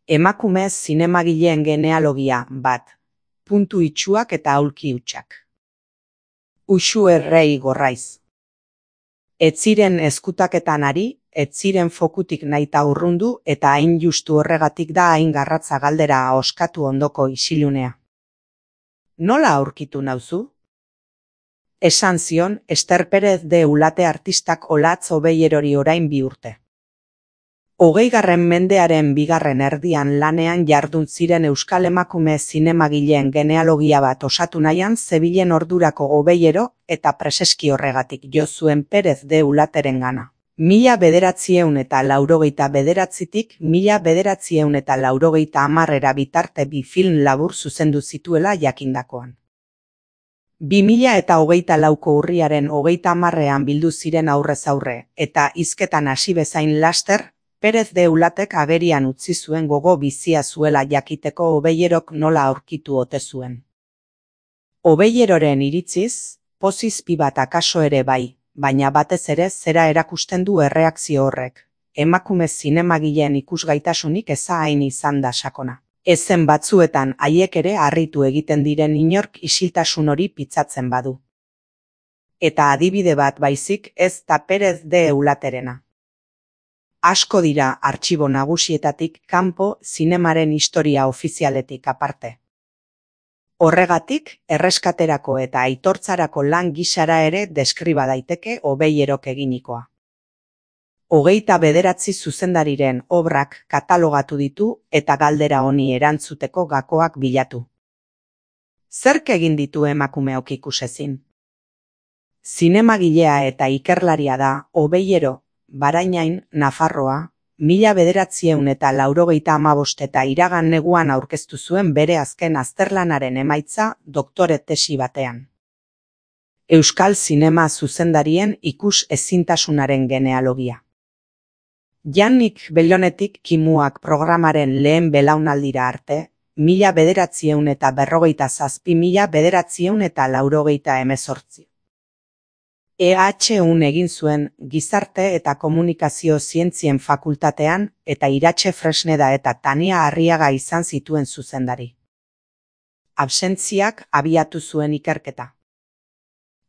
Emakume zinemagileen genealogia bat. Puntu itsuak eta aulki hutsak. Uxu Errei Gorraiz. Ez ziren ezkutaketan ari, ez ziren fokutik nahita urrundu eta hain justu horregatik da hain garratza galdera oskatu ondoko isilunea. Nola aurkitu nauzu? Esan zion Ester Perez de Ulate artistak Olatz Obeierori orain 2 urte. 20. mendearen 2. erdian lanean jardun ziren euskal emakume zinemagileen genealogia bat osatu nahian zebilen ordurako Obeiero eta preseski horregatik jo zuen Perez de Ulaterengana. 1989tik 1990 bitarte 2 film labur zuzendu zituela jakindakoan. 2024ko urriaren 30ean bildu ziren aurrez aurre eta hizketan hasi bezain laster, Perez de Ulatek agerian utzi zuen gogo bizia zuela jakiteko Obeierok nola aurkitu ote zuen. Obeieroren iritziz, pozizpi bat akaso ere bai, baina batez ere zera erakusten du erreakzio horrek. Emakume zinemagileen ikusgaitasunik eza hain izan da sakona. Ezen batzuetan haiek ere harritu egiten diren inork isiltasun hori pitzatzen badu. Eta adibide bat baizik ez da Perez de Ulaterena. Asko dira artxibo nagusietatik kanpo zinemaren historia ofizialetik aparte. Horregatik, erreskaterako eta aitortzarako lan gisara ere deskriba daiteke Obeierok eginikoa. 29 zuzendariren obrak katalogatu ditu eta galdera honi erantzuteko gakoak bilatu. Zerk egin ditu emakumeok ikusezin? Zinemagilea eta ikerlaria da Obeiero, Barainain, Nafarroa, 1995 eta iragan neguan aurkeztu zuen bere azken azterlanaren emaitza doktore tesi batean. Euskal zinema zuzendarien ikus ezintasunaren genealogia. Jannik Bellonetik Kimuak programaren lehen belaunaldira arte, 1957–1988. EHUn egin zuen Gizarte eta Komunikazio Zientzien Fakultatean eta Iratxe Fresneda eta Tania Arriaga izan zituen zuzendari. Absentziak abiatu zuen ikerketa.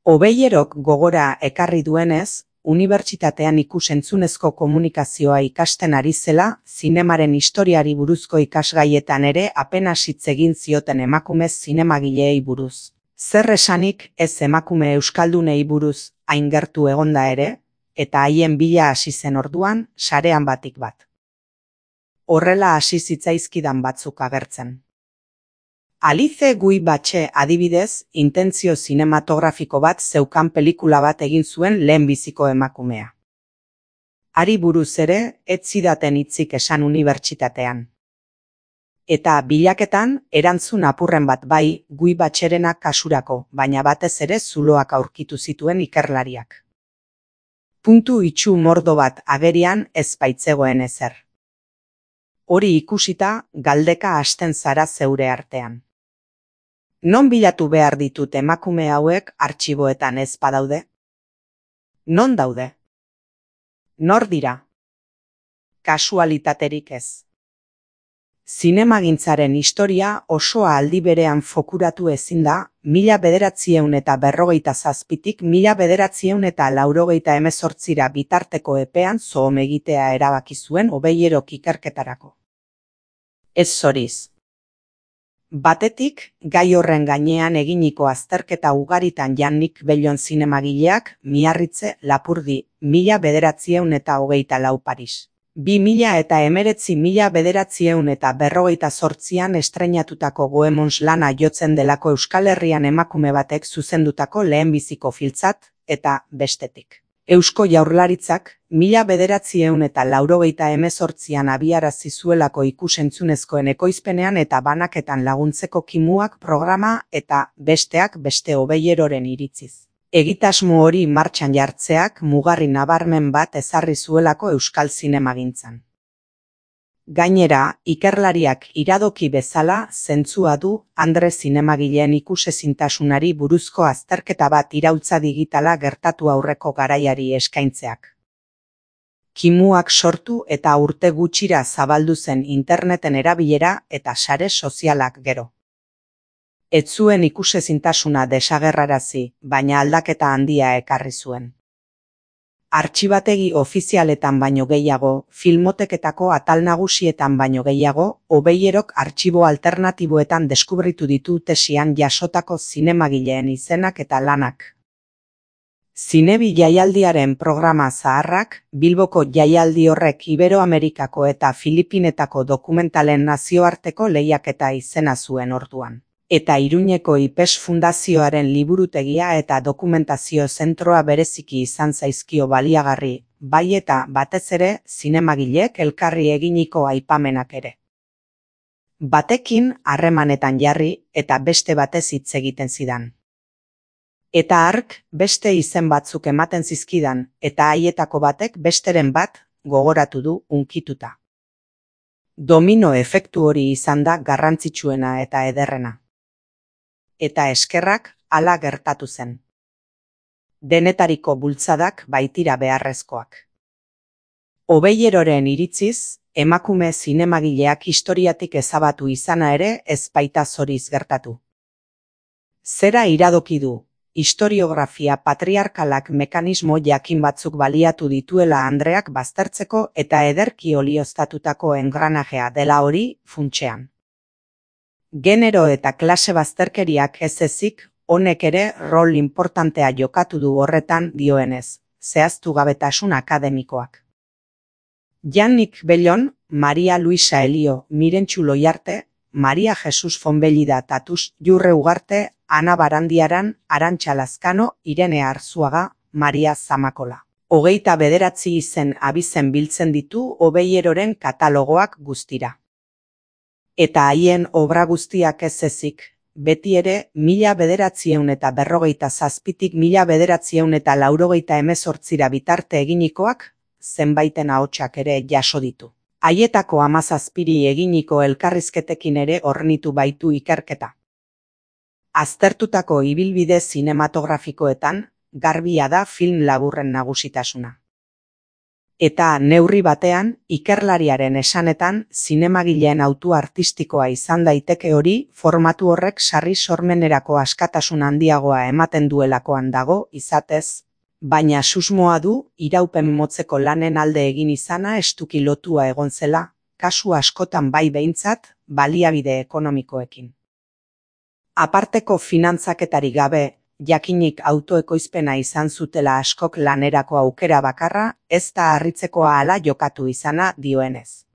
Obeierok gogora ekarri duenez, unibertsitatean ikus-entzunezko komunikazioa ikasten ari zela, zinemaren historiari buruzko ikasgaietan ere apenas hitz egin zioten emakume zinemagileei buruz. Zer esanik ez emakume euskaldunei buruz hain gertu egonda ere, eta haien bila hasi zen orduan, sarean batik bat. Horrela hasi zitzaizkidan batzuk agertzen. Alice Guy Batxe adibidez, intentzio zinematografiko bat zeukan pelikula bat egin zuen lehenbiziko emakumea. Hari buruz ere, ez zidaten hitzik esan unibertsitatean. Eta bilaketan, erantzun apurren bat bai, Guy Batxerena kasurako, baina batez ere zuloak aurkitu zituen ikerlariak. Puntu itsu mordo bat agerian ez baitzegoen ezer. Hori ikusita, galdeka hasten zara zeure artean. Non bilatu behar ditut emakume hauek artxiboetan ez badaude? Non daude? Nor dira? Kasualitaterik ez. Zinemagintzaren historia osoa aldi berean fokuratu ezin da, 1957tik 1998 bitarteko epean zoom egitea erabaki zuen Obeierok ikerketarako. Ez zoriz. Batetik, gai horren gainean eginiko azterketa ugaritan Jannik Bellon zinemagileak, Miarritze, Lapurdi, 1924 Paris. 2019–1948 estreinatutako Goemons lana jotzen delako Euskal Herrian emakume batek zuzendutako lehenbiziko filtzat, eta bestetik. Eusko Jaurlaritzak 1998an abiarazi zuelako ikus-entzunezkoen ekoizpenean eta banaketan laguntzeko Kimuak programa eta besteak beste Obeieroren iritziz. Egitasmo hori martxan jartzeak mugarri nabarmen bat ezarri zuelako euskal zinemagintzan. Gainera, ikerlariak iradoki bezala zentzua du Andre zinemagileen ikusezintasunari buruzko azterketa bat iraultza digitala gertatu aurreko garaiari eskaintzeak. kimuak sortu eta urte gutxira zabaldu zen interneten erabilera eta sare sozialak gero. Ez zuen ikusezintasuna desagerrarazi, baina aldaketa handia ekarri zuen. Artxibategi ofizialetan baino gehiago, filmoteketako atal nagusietan baino gehiago, Obeierok artxibo alternatiboetan deskubritu ditu tesian jasotako zinemagileen izenak eta lanak. Zinebi jaialdiaren programa zaharrak, Bilboko jaialdi horrek Iberoamerikako eta Filipinetako dokumentalen nazioarteko lehiaketa izena zuen orduan. Eta Iruñeko IPES Fundazioaren liburutegia eta dokumentazio zentroa bereziki izan zaizkio baliagarri, bai eta batez ere zinemagilek elkarri eginiko aipamenak ere. Batekin harremanetan jarri eta beste batez hitz egiten zidan. Eta hark beste izen batzuk ematen zizkidan eta haietako batek besteren bat gogoratu du hunkituta. Domino efektu hori izan da garrantzitsuena eta ederrena. Eta eskerrak hala gertatu zen. Denetariko bultzadak baitira beharrezkoak. Obeieroren iritziz, emakume zinemagileak historiatik ezabatu izana ere ez baita zoriz gertatu. Zera iradoki du, historiografia patriarkalak mekanismo jakin batzuk baliatu dituela andreak baztertzeko eta ederki olioztatutako engranajea dela hori funtsean. Genero eta klase bazterkeriak ez ezik, honek ere rol importantea jokatu du horretan dioenez, zehaztu gabetasun akademikoak. Jannik Bellon, Maria Luisa Elio, Mirentxu Loiarte, Maria Jesus Fonbellida Tatus, Jurre Ugarte, Ana Barandiaran, Arantxa Lazkano, Irene Arzuaga, Maria Zamakola. 29 izen abizen biltzen ditu Obeieroren katalogoak guztira. Eta haien obra guztiak ez ezik, beti ere 1957tik 1988 bitarte eginikoak, zenbaiten ahotsak ere jaso ditu. Haietako 17 eginiko elkarrizketekin ere hornitu baitu ikerketa. Aztertutako ibilbide zinematografikoetan, garbia da film laburren nagusitasuna. Eta neurri batean, ikerlariaren esanetan, zinemagileen autu artistikoa izan daiteke hori, formatu horrek sarri sormenerako askatasun handiagoa ematen duelakoan dago, izatez, baina susmoa du, iraupen motzeko lanen alde egin izana estuki lotua egon zela, kasu askotan bai behintzat, baliabide ekonomikoekin. Aparteko finantzaketari gabe, jakinik autoekoizpena izan zutela askok lanerako aukera bakarra, ez da harritzekoa hala jokatu izana dioenez.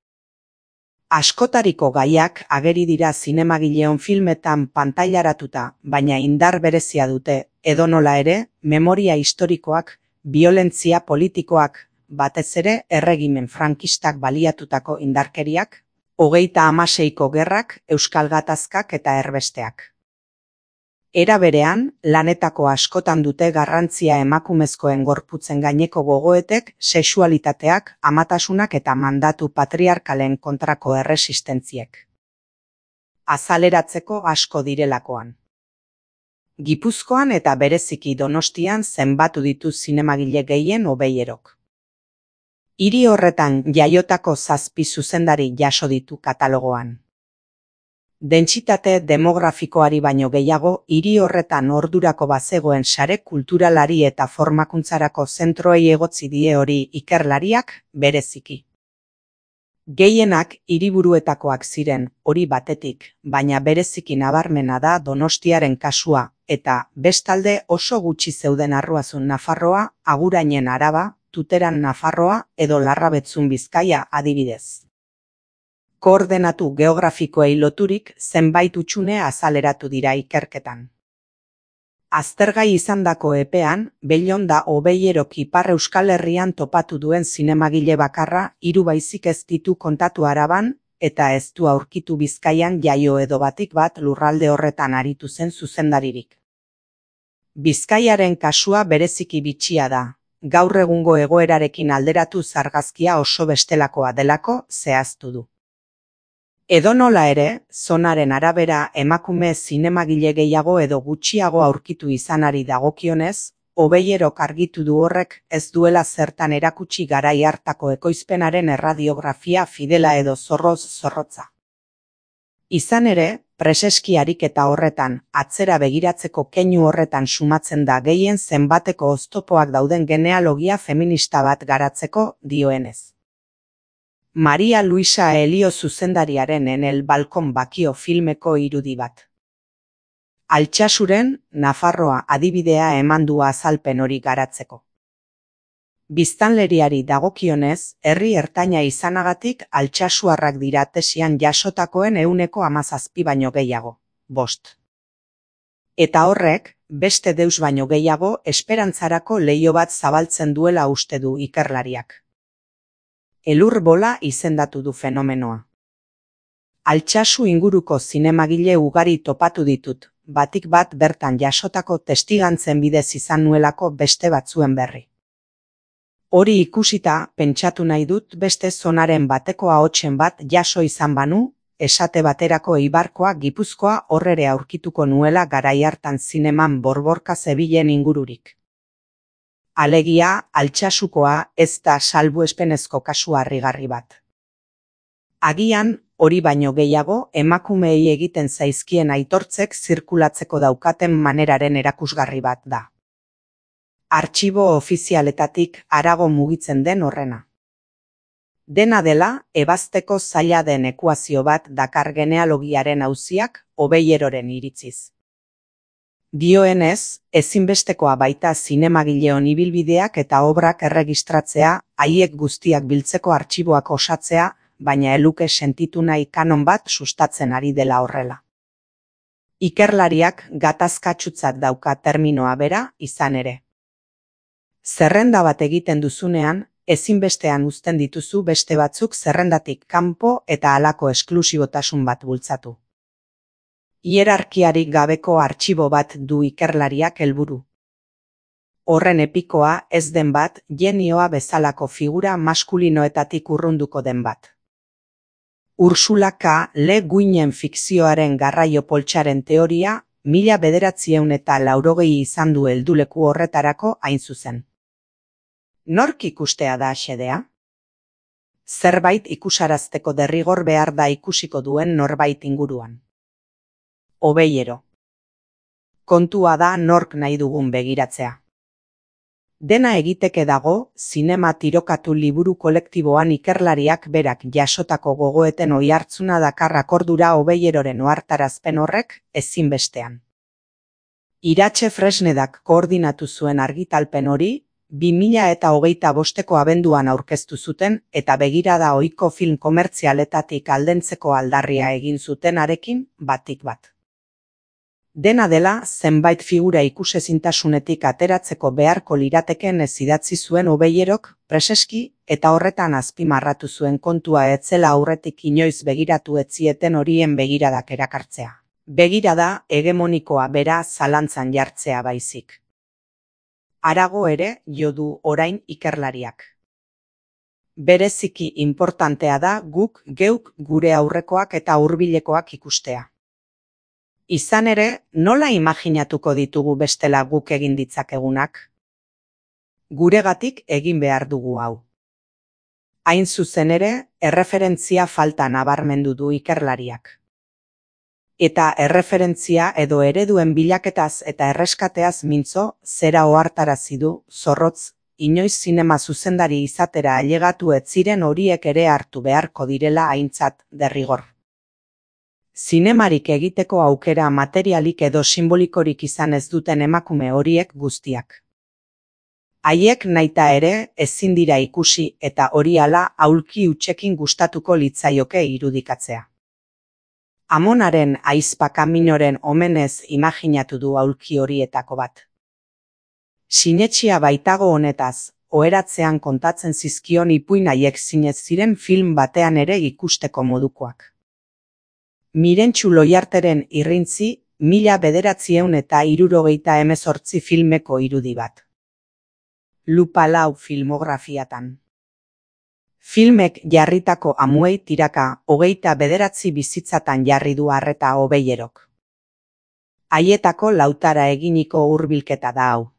Askotariko gaiak ageri dira zinemagileon filmetan pantailaratuta, baina indar berezia dute, edonola ere, memoria historikoak, biolentzia politikoak, batez ere erregimen frankistak baliatutako indarkeriak, 36ko gerrak, euskal gatazkak eta erbesteak. Era berean, lanetako askotan dute garrantzia emakumezkoen gorputzen gaineko gogoetek, sexualitateak, amatasunak eta mandatu patriarkalen kontrako erresistentziek. Azaleratzeko asko direlakoan. Gipuzkoan eta bereziki Donostian zenbatu ditu zinemagile gehien Obeierok. Hiri horretan jaiotako 7 zuzendari jaso ditu katalogoan. Dentsitate demografikoari baino gehiago, hiri horretan ordurako bazegoen sare kulturalari eta formakuntzarako zentroei egotzi die hori ikerlariak bereziki. Gehienak hiriburuetakoak ziren, hori batetik, baina bereziki nabarmena da Donostiaren kasua, eta bestalde oso gutxi zeuden Arruazun Nafarroa, Agurainen Araba, Tuteran Nafarroa edo Larrabetzun Bizkaia adibidez. Koordenatu geografikoei loturik zenbait hutsune azaleratu dira ikerketan. Aztergai izandako epean, Bellon da Obeierok Ipar Euskal Herrian topatu duen zinemagile bakarra 3 baizik ez ditu kontatu Araban, eta ez du aurkitu Bizkaian jaio edo batik bat lurralde horretan aritu zen zuzendaririk. Bizkaiaren kasua bereziki bitxia da, gaur egungo egoerarekin alderatu argazkia oso bestelakoa delako zehaztu du. Edonola ere, zonaren arabera emakume zinemagile gehiago edo gutxiago aurkitu izanari dagokionez, Obeyerok argitu du horrek ez duela zertan erakutsi garai hartako ekoizpenaren erradiografia fidela edo zorroz zorrotza. Izan ere, preseski ariketa horretan, atzera begiratzeko keinu horretan sumatzen da gehien zenbateko oztopoak dauden genealogia feminista bat garatzeko, dioenez. Maria Luisa Elio zuzendariaren En el balkon bakio filmeko irudi bat. Altsasuren, Nafarroa adibidea eman du azalpen hori garatzeko. Biztanleriari dagokionez, herri ertaina izanagatik altsasuarrak dira tesian jasotakoen 17% baino gehiago, 5. Eta horrek, beste deus baino gehiago esperantzarako leiho bat zabaltzen duela uste du ikerlariak. Elur bola izendatu du fenomenoa. Altsasu inguruko zinemagile ugari topatu ditut, batik bat bertan jasotako testigantzen bidez izan nuelako beste batzuen berri. Hori ikusita, pentsatu nahi dut beste zonaren bateko ahotsen bat jaso izan banu, esate baterako Eibarkoa Gipuzkoa horrere aurkituko nuela garai hartan zineman borborka zebilen ingururik. Alegia, altsasukoa ez da salbuespenezko kasu harrigarri bat. Agian, hori baino gehiago, emakumeei egiten zaizkien aitortzek zirkulatzeko daukaten maneraren erakusgarri bat da. Artxibo ofizialetatik harago mugitzen den horrena. Dena dela, ebazteko zaila den ekuazio bat dakar genealogiaren auziak Obeyeroren iritziz. Dioenez, ezinbestekoa baita zinemagileon ibilbideak eta obrak erregistratzea, haiek guztiak biltzeko artxiboak osatzea, baina eluke sentitu nahi kanon bat sustatzen ari dela horrela. Ikerlariak gatazkatsutzat dauka terminoa bera izan ere. Zerrenda bat egiten duzunean, ezinbestean uzten dituzu beste batzuk zerrendatik kanpo eta halako esklusibotasun bat bultzatu. Hierarkiarik gabeko artxibo bat du ikerlariak helburu. Horren epikoa ez den bat, genioa bezalako figura maskulinoetatik urrunduko den bat. Ursula K. Le Guinen fikzioaren garraio poltsaren teoria, 1980 izan du helduleku horretarako hain zuzen. Nork ikustea da xedea? Zerbait ikusarazteko derrigor behar da ikusiko duen norbait inguruan. Obeyero. Kontua da nork nahi dugun begiratzea. Dena egiteke dago, zinema tirokatu liburu kolektiboan ikerlariak berak jasotako gogoeten oihartzuna dakar akordura Obeyeroren ohartarazpen horrek ezinbestean. Iratxe Fresnedak koordinatu zuen argitalpen hori, 2025ko abenduan aurkeztu zuten eta begirada ohiko film komertzialetatik aldentzeko aldarria egin zutenarekin batik bat. Dena dela, zenbait figura ikusezintasunetik ateratzeko beharko lirateken ez idatzi zuen Obeyerok, preseski, eta horretan azpimarratu zuen kontua etzela aurretik inoiz begiratu etzieten horien begiradak erakartzea. Begirada hegemonikoa bera zalantzan jartzea baizik. Harago ere, jo du orain ikerlariak. Bereziki inportantea da guk geuk gure aurrekoak eta hurbilekoak ikustea. Izan ere, nola imaginatuko ditugu bestela guk egin ditzakegunak? Guregatik egin behar dugu hau. Hain zuzen ere, erreferentzia falta nabarmendu du ikerlariak. Eta erreferentzia edo ereduen bilaketaz eta erreskateaz mintzo, zera ohartarazi du, zorrotz, inoiz zinema zuzendari izatera ailegatu ez ziren horiek ere hartu beharko direla aintzat derrigor. Zinemarik egiteko aukera materialik edo simbolikorik izan ez duten emakume horiek guztiak. Haiek naita ere ezin dira ikusi eta hori hala aulki hutsekin gustatuko litzaioke irudikatzea. Amonaren ahizpa Kaminoren omenez imaginatu du aulki horietako bat. Sinetxia baitago honetaz, oheratzean kontatzen zizkion ipuin haiek zinez ziren film batean ere ikusteko modukoak. Mirentxu Loiarteren irrintzi 1978 filmeko irudi bat. Lupa lau filmografiatan. Filmek jarritako amuei tiraka 29 bizitzatan jarri du arreta Obeyerok. Haietako lautara eginiko hurbilketa da hau.